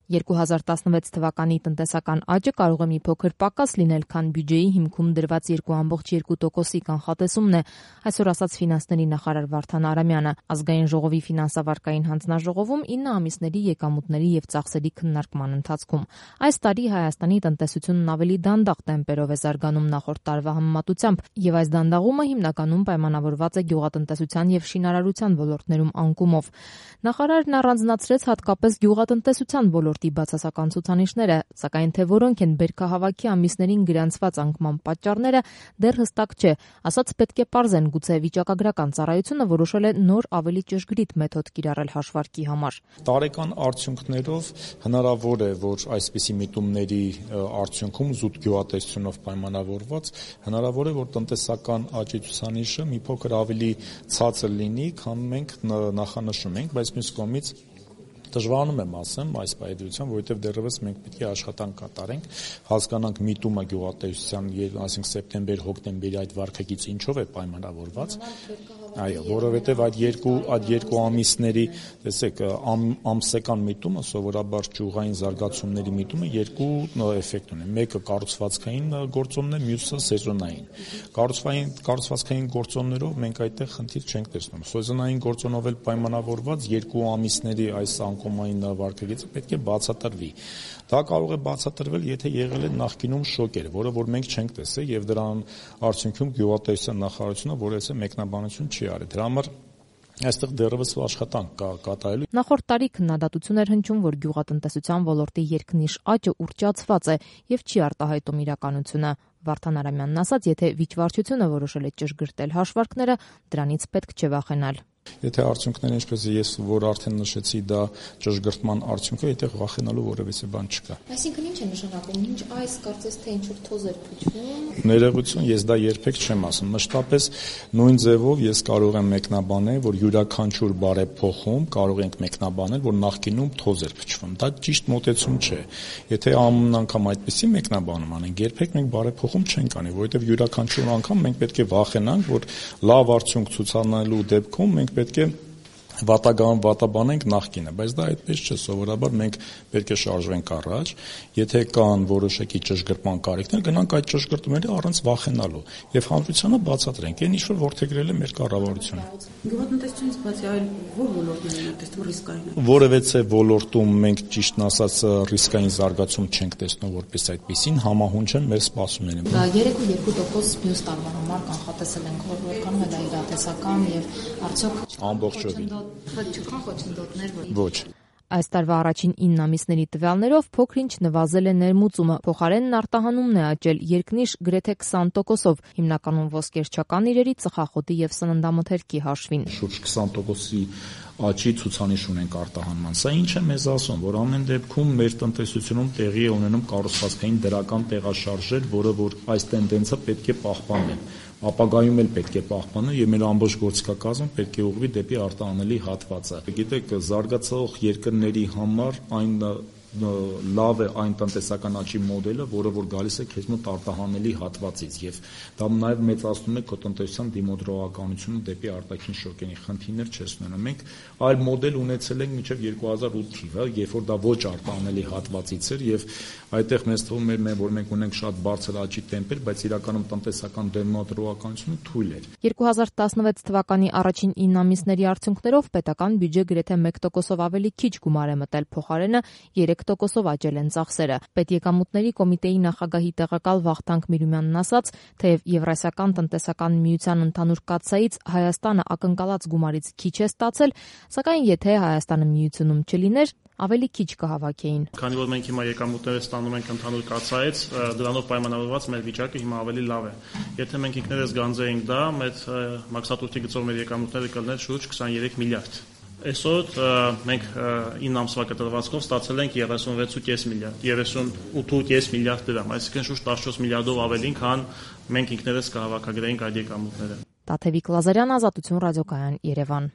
2016 թվականի տնտեսական աճը կարող է մի փոքր պակաս լինել, քան բյուջեի հիմքում դրված 2.2%-ի կանխատեսումն է, այսօր ասաց ֆինանսների նախարար Վարդան Արամյանը։ Ազգային ժողովի ֆինանսավարկային հանձնաժողովում 9 ամիսների եկամուտների եւ ծախսերի քննարկման ընթացքում այս տարի Հայաստանի տնտեսությունն ավելի դանդաղ տեմպերով է զարգանում նախորդ տարվա համեմատությամբ, եւ այս դանդաղումը հիմնականում պայմանավորված է գյուղատնտեսության եւ շինարարության ոլորտներում անկումով։ Նախարարն առանձնացրեց հատկապես գյուղատնտեսության ոլորտի բացասական ցուցանիշները, սակայն թե որոնք են բերքահավաքի ամիսներին գրանցված անկման պատճառները դեռ հստակ չէ, ասաց պետք է պարզեն, գուցե վիճակագրական ծառայությունը որոշել է նոր ավելի ճշգրիտ մեթոդ կիրառել հաշվարկի համար։ Տարեկան արդյունքներով հնարավոր է, որ այսպիսի միտումների արդյունքում զուտ գյուղատնտեսությունով պայմանավորված հնարավոր է, որ տնտեսական աճի ցուցանիշը մի փոքր ավելի ցածր լինի, քան մենք նախանշում ենք, բայց մյուս կողմից դժվարանում եմ ասեմ այս պայմանությամբ, որովհետև դեռևս մենք պետք է աշխատանք կատարենք, հասկանանք միտումը գյուղատնտեսության, այսինքն սեպտեմբեր-հոկտեմբերի այդ վարկագիծը ինչով է պայմանավորված։ Այո, որովհետև այդ երկու ամիսների, տեսեք, ամսական միտումը սովորաբար ճյուղային զարգացումների միտումը երկու էֆեկտ ունի։ Մեկը կառուցվածքային գործոնն է, մյուսը սեզոնային։ Կառուցվածքային գործոններով մենք այդտեղ խնդիր չենք տեսնում։ Սեզոնային գործոնով էլ պայմանավորված երկու ամիսների այս անկումային վարկագիծը պետք է բացատրվի։ Դա կարող է բացատրվել, եթե եղել է նախկինում շոկեր, որը որ մենք չենք տեսել եւ դրան արդյունքում գյուղատնտեսության նախարարությունը որևէ մեկնաբանություն չի արել։ Դրա համար այստեղ դեռևս աշխատանք կա կատարելու։ Նախորդ տարի քննադատություն էր հնչում, որ գյուղատնտեսության ոլորտի երկնիշ աճը ուռճացված է եւ չի արտահայտում իրականությունը։ Վարդան Արամյանն ասաց, եթե վիճվարչությունը որոշել է ճշգրտել հաշվարկները, դրանից պետք չէ վախենալ։ Եթե արդյունքները, ինչպես ես որ արդեն նշեցի, դա ճշգրտման արդյունք է, այդտեղ վախենալու որևէ բան չկա։ Այսինքն ինչ է նշանակում, ինչ այս կարծես թե ինչ-որ թոզ էր փչվում։ Ներողություն, ես դա երբեք չեմ ասում։ Մշտապես նույն ձևով ես կարող եմ մեկնաբանել, որ յուրաքանչյուր բարեփոխում կարող ենք մեկնաբանել, որ նախկինում թոզ էր փչվում։ Դա ճիշտ մոտեցում չէ։ Եթե ամեն անգամ այդպեսի մեկնաբանում անենք, երբեք մենք բարեփոխում չենք անի, որովհետև յուրաքանչյուր անգամ մենք պետք է վախենանք, որ լավ արդյունք ցուցանալու դեպքում մենք պետք է վատաբանենք նախկինը, բայց դա այդպես չէ, սովորաբար մենք պետք է շարժվենք առաջ, եթե կան որոշակի ճշգրտման կարիքներ, գնանք այդ ճշգրտումները առանց վախենալու եւ հանրությանը բացատրենք, այն ինչ որ որդեգրել է մեր կառավարությունը։ Գյուղատնտեսությունից բացի այլ ո՞ր ոլորտներն են տեսնում ռիսկային։ Որևէ ոլորտում մենք ճիշտն ասած ռիսկային զարգացում չենք տեսնում որպես այդպեսին, համահունչ են մեր սպասումները։ Դա 3.2% մյուս տարվա համար կանխատեսել ենք, որքանում է դա իրատեսական եւ արդյոք ամբողջովին չկան խոչընդոտներ, ոչ։ Այս տարվա առաջին 9 ամիսների տվյալներով փոքր-ինչ նվազել է ներմուծումը, փոխարենն արտահանումն է աճել երկնիշ գրեթե 20%-ով, հիմնականում ոսկերչական իրերի, ծխախոտի եւ սննդամթերքի հաշվին։ Շուրջ 20%-ի աճի ցուցանիշ ունենք արտահանման։ Սա ինչ է մեզ ասում, որ ամեն դեպքում մեր տնտեսությունում տեղի է ունենում կառուցվածքային դրական տեղաշարժեր, որը որ այս տենդենսը պետք է պահպանել։ Ապագայում էլ պետք է պահպանել եւ մեր ամբողջ գործիքակազմը պետք է ուղղվի դեպի արտահանելի հատվածը։ Գիտեք, զարգացող երկրների համար այն լավ է այն տնտեսական աճի մոդելը, որը որ գալիս է քեզ մոտ արտահանելի հատվածից եւ դա նաեւ մեծացնում է քո տնտեսության դիմադրողականությունը դեպի արտաքին շոկերի խնդիրներ չես ունենա։ Մենք այլ մոդել ունեցել ենք մինչեւ 2008 թիվը, երբ որ դա ոչ արտահանելի հատվածից էր եւ այդտեղ մեզ թվում էր, որ մենք ունենք շատ բարձր աճի տեմպեր, բայց իրականում տնտեսական դիմադրողականությունը թույլ էր։ 2016 թվականի առաջին 9 ամիսների արդյունքներով պետական բյուջե գրեթե 1%-ով ավելի քիչ գումար է մտել, փոխարենը 3%-ով աճել են ծախսերը։ Պետեկամուտների կոմիտեի նախագահի տեղակալ Վախթանգ Միրումյանն ասաց, թեև Եվրասիական տնտեսական միության ընդհանուր կաթսայից Հայաստանը ակնկալած գումարից քիչ է ստացել, սակայն եթե Հայաստանը միությունում չլիներ, ավելի քիչ կհավաքեին։ Քանի որ մենք հիմա եկամուտները ստանում ենք ընդհանուր կաթսայից, դրանով պայմանավորված մեր վիճակը հիմա ավելի լավ է։ Եթե մենք ինքներս գանձեինք դա, մեր մաքսատուրքի գծով մեր եկամուտները կլներ շուրջ 23 միլիարդ։ Այսօր մենք 9 ամսվա կտրվածքով ստացել ենք 36.5 միլիարդ, 38.5 միլիարդ դրամ, այսինքն շուրջ 14 միլիարդով ավելին, քան մենք ինքներս կհավաքագրեինք այդ եկամուտները։ Տաթևիկ Լազարյան, Ազատություն ռադիոկայան, Երևան։